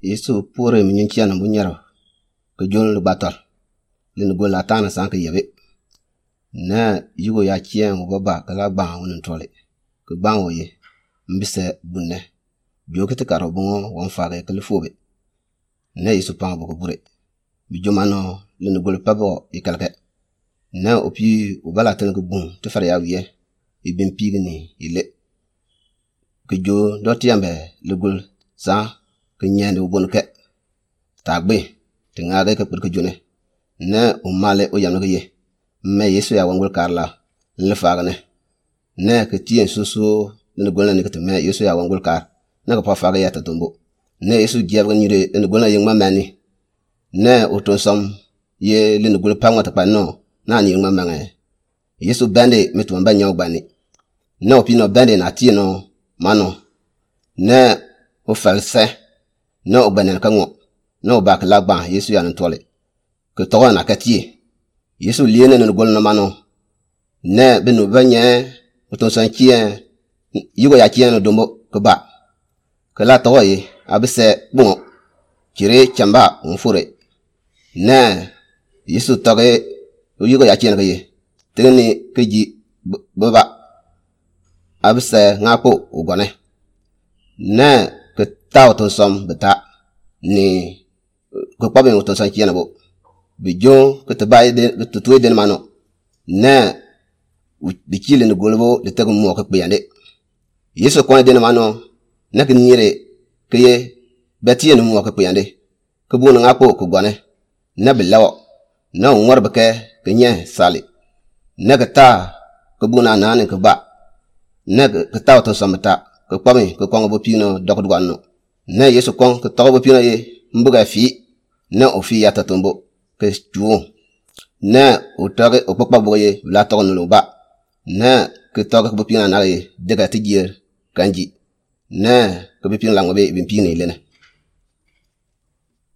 Yesu pore mi nyin bu nyero ke jon lu bator lin gol la tana san ke yebe na yugo ya chien wo baba ke la gban won tole ke gban wo ye mbise bunne jo ke te karo bungo won fa ke le fobe na Yesu pan bu ko bure bi jomano lin gol pabo ikalke na opi ubala ten ke bun te far ya wiye ibin pigni ile ke jo do tiambe le gol sa ke nyende ubon ke tagbe te ngage ke pur ke jone ne umale o yamne ke ye me Yesu ya wangul karla le fagne ne ke tien susu ne gol ne ke te me Yesu ya wangul kar ne ko pa faga ya tatumbo ne Yesu jeb nyure ne gol na yengma mani ne oton som ye le ne gol pa ngata pa no na ni yengma mange Yesu bende me to mba nyaw gbani ne opi no bende na tie no mano ne o false ne o gbane ka ngo ne o bak lagba Yesu ya ntole ke to na katie Yesu liene ne gol no mano ne be no banye oton san kien yugo ya kien no dombo ke ba ke la to ye abise bon kire chamba on fure ne Yesu toge yugo ya kien ke ye teni ke ji baba abise ngako ugone ne ke ta oton som beta ni ke pabe oton san kien bo bijo ke te bay de te tuwe den mano ne bi kile ne golbo de tego mo ke kpeyande Yesu ko den mano ne ke nyire ke ye betie ne mo ke kpeyande ke bu na ngako ko gone ne bi lawo ne ngor be ke ke nye sali ne ke ta ke bu na na ne ke ba ne ke ta to samta ke pami ke kongo bo pino dok dwanno ne Yesu kon ke to bo pino ye mbuga fi ne ofi ya tatumbo ke juo ne otoge okpokpa boye la to no ba ne ke toge bo pina na ye de ga tigier kanji ne ke bi pina la ngobe bi pina ile ne.